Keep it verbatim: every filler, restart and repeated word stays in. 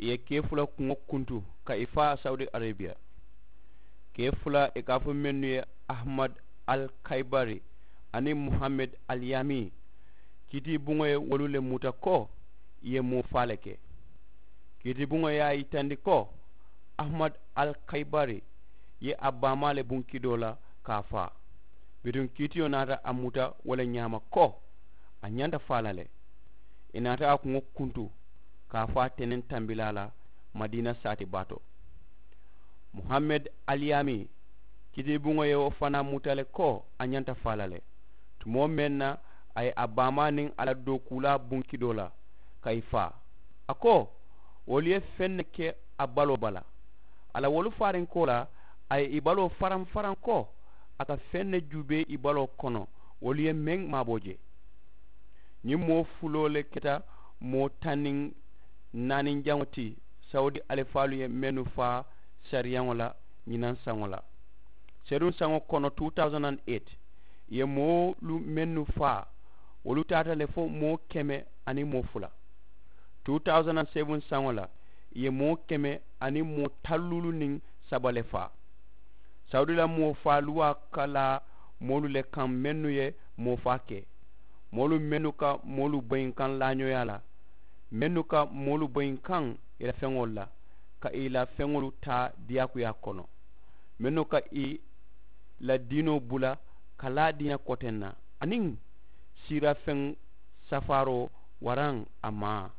ì ye kee fula kuŋo kuntu ka ì faa sawudi arebiya. Kee fula ì ka a fo mennu ye, ahamadu, al kayibari, aniŋ muhammed, al yaami. Kiitibuŋo ye wolu le muta ko ì ye moo faa le ke. Kiitibuŋo ye a yitandi ko ahamadu, al kayibari, ye a baamaa le buŋ kidoo la ka a faa. Bituŋ kiitiyo naata a muta wo le ñaama ko a ñanta faa la le. Ì naata a kuŋo kuntu ka a faa teneŋ tambilaa la madiina saati baa to. Muhammed, aliyaami, kiitibuŋo ye wo fanaa muta le ko a ñanta faa la le. Tumoo meŋ na a ye a baamaa niŋ a la dookuulaa buŋ kidoo la ka ì faa. A ko wolu ye feŋ ne ke a baloo bala. A la wolu faarinkoo la, a ye ì baloo faraŋ faraŋ ko a ka feŋ ne juubee ì baloo kono wolu ye meŋ maaboo je. Ñiŋ moo fuloo le keta moo taŋ niŋ naaninjaŋo ti sawudi alifaalu ye mennu faa sariyaŋo la ñinaŋ saŋo la. Seruŋ saŋo kono two thousand and eight ì ye moolu mennu faa wolu taata le fo moo keme aniŋ moo fula. Two thousand and seven saŋo la ì ye moo keme aniŋ moo talluulu niŋ saba le faa. Sawudi la moo faa luwaa ka laa moolu le kaŋ mennu ye moo faa ke, moolu mennu ka moolu boyinkaŋ laañooyaa la, mennu ka moolu boyinkaŋ ì la feŋolu la ka ì la feŋolu taa diyaakuyaa kono, mennu ka ì la diinoo bula ka laa diina koteŋ na, aniŋ siirafeŋ safaaroo waraŋ a maa.